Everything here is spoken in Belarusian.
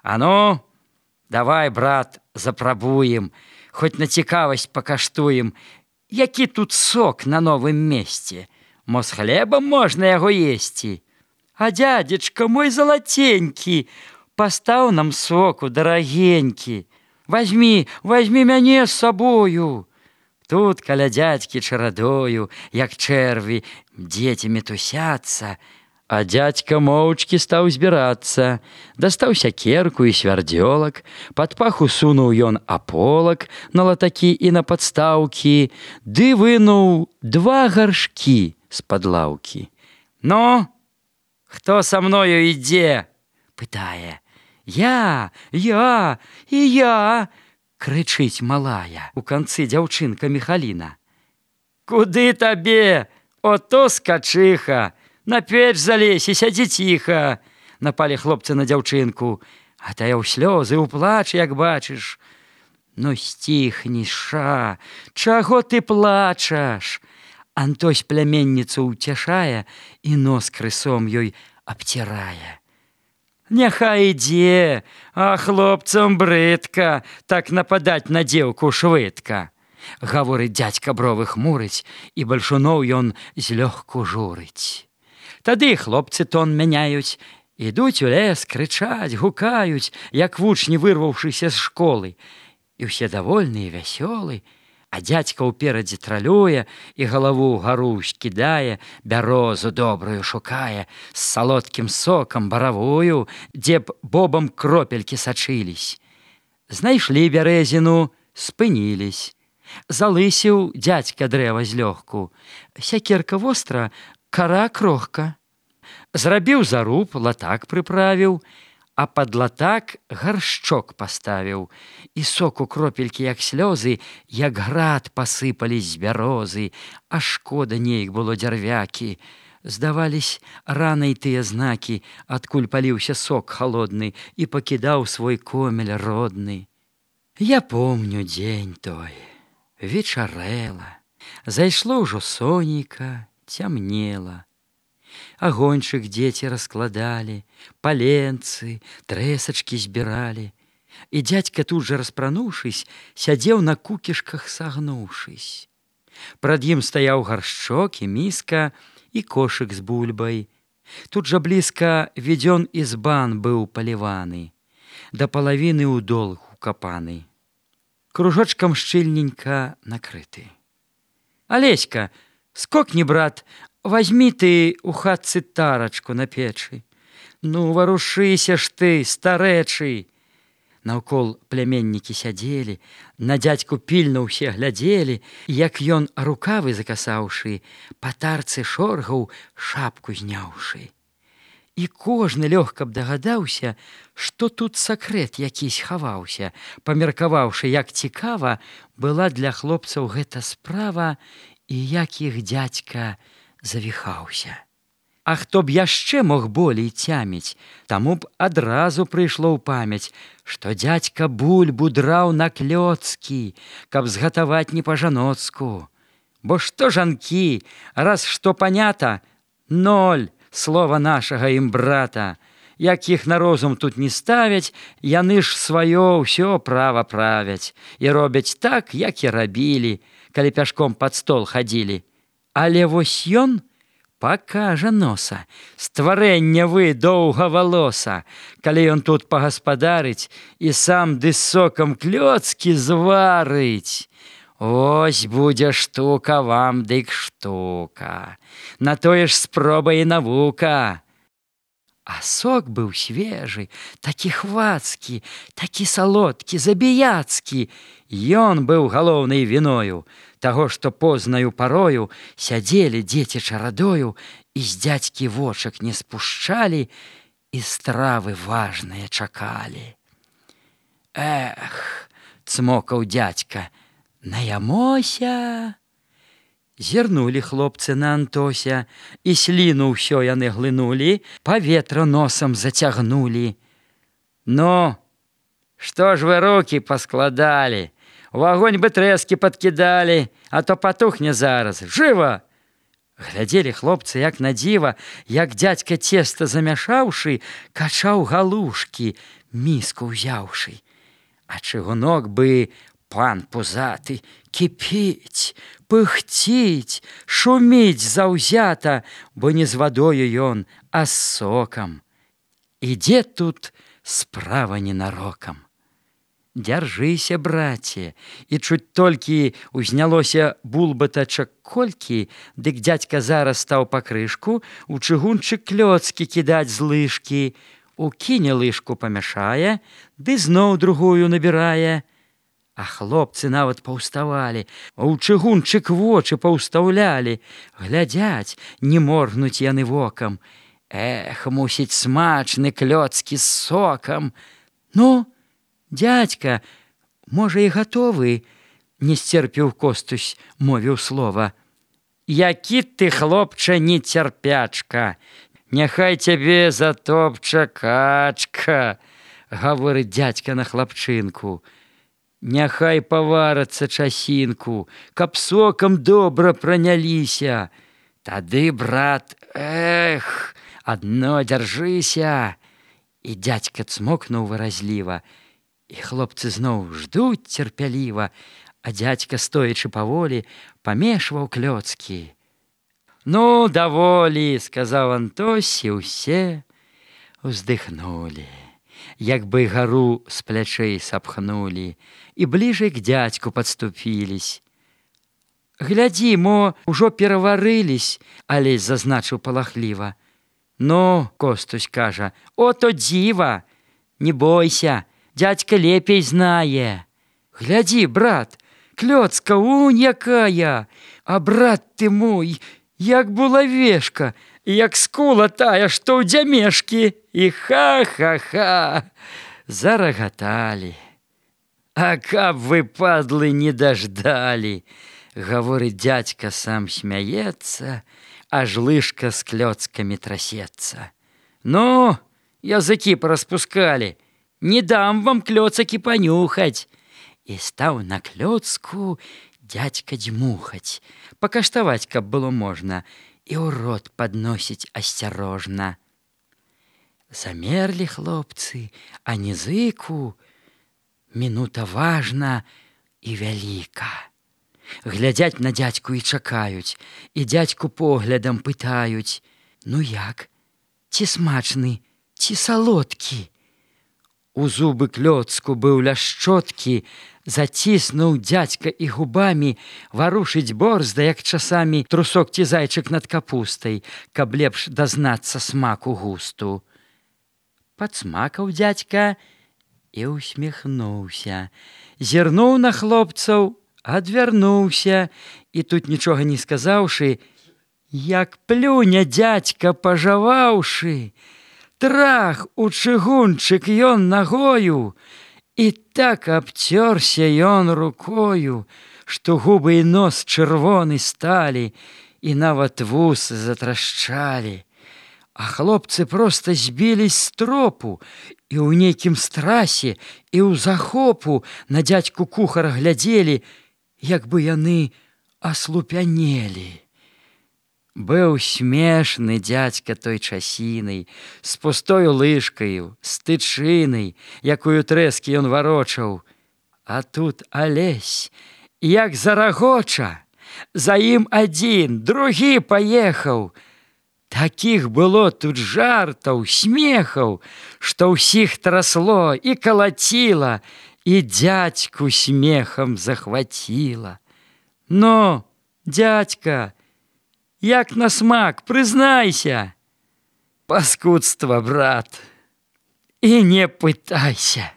А ну, давай, брат, запрабуем, хоць на цікавасць пакаштуем, які тут сок на новым месце. Мо з хлебам можна яго есці. А дядзечка мой залатенькі, пастаў нам соку, дарагенькі. Возьми мяне з сабою. Тут каля дядькі чарадою, як чэрві, дзеці мітусяцца. А дядька моўчкі стаў збірацца, дастаў сякерку і свярдзёлак, пад паху сунуў ён аполак на латакі і на падстаўкі, ды вынуў 2 гаршкі з-пад лаўкі. Ну, хто са мною ідзе? Пытае. Я, і я, крычыць малая у канцы дзяўчынка Міхаліна. Куды табе, ото скачыха, на печ залезь і сядзі ціха, напалі хлопцы на дзяўчынку, а тая ў слёзы, у плач, як бачыш. Ну сціхні, ша, чаго ты плачаш? Антось пляменніцу ўцяшае і нос крысом ёй абцірае. Няхай ідзе, а хлопцам брыдка так нападаць на дзеўку швыдка. Гаворыць дзядзька, бровы хмурыць, і бальшуноў ён злёгку журыць. Тады хлопцы тон мяняюць, ідуць у лес, крычаць, гукаюць, як вучні, вырваўшыся з школы. І ўсе давольныя, вясёлы, а дзядзька ўперадзе тралюе і галаву ўгару скідае, бярозу добрую шукае, з салодкім сокам баравую, дзе б бобам кропелькі сачылись. Знайшлі бярэзіну, спынілись. Залысіў дзядзька дрэва злёгку, сякерка востра, кара крохка. Зрабіў заруб, латак прыправіў, а пад латак гаршчок паставіў, і соку кропелькі, як слёзы, як град пасыпались з бярозы, а шкода неяк было дзярвякі. Здавались ранай тыя знакі, адкуль паліўся сок халодны і пакідаў свой комель родны. Я помню дзень той, вечарэла, зайшло ўжо сонейка, цямнела. Агоньчык дзеці раскладалі, паленцы, трэсачкі збіралі. І дзядзька тут жа распрануўшись, сядзеў на кукішках сагнуўшись. Прад ім стаяў гаршчок і міска і кошык з бульбай. Тут жа блізка ведзён ізбан быў паліваны, да палавіны ў дол укапаны, кружочкам шчыльненька накрыты. Алеська, скокні, брат, возьми ты у хатцы тарачку на печы. Ну, варушыся ж ты, старэчы. Наўкол пляменнікі сядзелі, на дзядзьку пільна ўсе глядзелі, як ён, рукавы закасаўшы, па тарцы шоргаў, шапку зняўшы. І кожны лёгка б дагадаўся, што тут сакрэт якісь хаваўся, памеркаваўшы, як цікава была для хлопцаў гэта справа і як іх дзядзька завіхаўся. А хто б яшчэ мог болей цяміць, таму б адразу прыйшло ў памяць, што дзядзька бульбу драў на клёцкі, каб згатаваць не па-жаноцку. Бо што жанкі, раз што панята, 0 слова нашага ім брата. Як іх на розум тут не ставяць, яны ж сваё ўсё права правяць і робяць так, як і рабілі, калі пяшком пад стол хадзілі. Але вось ён пакажа носа, стварэння вы доўгавалоса, калі ён тут пагаспадарыць і сам ды сокам клёцкі зварыць. Ось будзе штука вам дык штука, на тое ж спроба і навука. А сок быў свежы, такі хвацкі, такі салодкі, забіяцкі. Ён быў галоўнай віною таго, што познаю парою сядзелі дзеці чарадою і з дзядзькі вочак не спушчалі і стравы важныя чакалі. Эх, цмокаў дзядзька, наямося. Зірнулі хлопцы на Антося, і сліну ўсё яны глынулі, паветра носам зацягнулі. Ну, што ж вы рукі паскладалі? У агонь бы трэскі падкідалі, а то патухне зараз. Жыва! Глядзелі хлопцы, як на дзіва, як дзядзька цеста замяшаўшы, качаў галушкі, міску ўзяўшы. А чыгунок бы, пан пузаты, кіпіць, пыхціць, шуміць заўзята, бо не з вадою ён, а з сокам. Ідзе тут справа ненарокам. Дзяржыся, браце, і чуць толькі узнялося булбатачак колькі, дык дзядзька зараз стаў па крышку у чыгунчык клёцкі кідаць з лыжкі, укіне лыжку памяшае, ды зноў другую набірае. А хлопцы нават паўставалі, а ў чыгунчык вочы паўстаўлялі, глядзяць, не моргнуць яны вокам. Эх, мусіць, смачны клёцкі з сокам. Ну, дядька, можа, і гатовы? Не сцерпіў Костусь, мовіў слова. Які ты, хлопча, нецярпячка, няхай цябе затопча качка, гаворыць дзядзька на хлапчынку. Няхай паварацца часінку, каб сокам добра праняліся. Тады, брат, эх, адно дзяржыся. І дзядзька цмокнуў выразліва. І хлопцы зноў ждуць цярпяліва, а дзядзька, стоячы паволі, памешваў клёцкі. Ну, даволі, сказаў Антось, і ўсе уздыхнулі, як бы гару з плячэй сапхнулі, і бліжэй к дзядзьку падступіліся. Глядзі, мо ўжо пераварыліся, Алесь зазначыў палахліва. Ну, Костусь кажа, ото дзіва, не бойся, дядька лепей знае. Глядзі, брат, клёцка унь якая, а брат ты мой, як булавешка, як скула тая, што ў дзямешкі. І ха-ха-ха, зарагаталі. А каб вы, падлы, не даждалі, гаворыць дзядзька, сам смяецца, аж лыжка з клёцкамі трасецца. Ну, языкі параспускалі, не дам вам клёцакі панюхаць. І стаў на клёцку дзядзька дзьмухаць, пакаштаваць, каб было можна, і ў рот падносіць асцярожна. Замерлі хлопцы, а нізыку мінута важна і вяліка. Глядзяць на дзядзьку і чакаюць, і дзядзьку поглядам пытаюць: ну як, ці смачны, ці салодкі? У зубы клёцку быў ляшчоткі, заціснуў дзядзька і губамі, варушыць борзда, як часамі трусок ці зайчык над капустай, каб лепш дазнацца смаку густу. Падсмакаў дзядзька і ўсміхнуўся, зірнуў на хлопцаў, адвярнуўся, і тут, нічога не сказаўшы, як плюне дзядзька, пажаваўшы, трах у чыгунчык ён нагою, і так абцёрся ён рукою, што губы і нос чырвоны сталі, і нават вусы затрашчалі. А хлопцы проста збілись з тропу, і ў нейкім страсе, і ў захопу на дзядзьку кухара глядзелі, як бы яны аслупянелі. Быў смешны дзядзька той часінай, з пустою лыжкаю, з тычынай, якую трэскі ён варочаў. А тут Алесь, як зарагоча, за ім адзін, другі паехаў. Такіх было тут жартаў, смехаў, што ўсіх трасло і калаціла, і дзядзьку смехам захваціла. Ну, дзядзька, як на смак, прызнайся. Паскудства, брат, і не пытайся.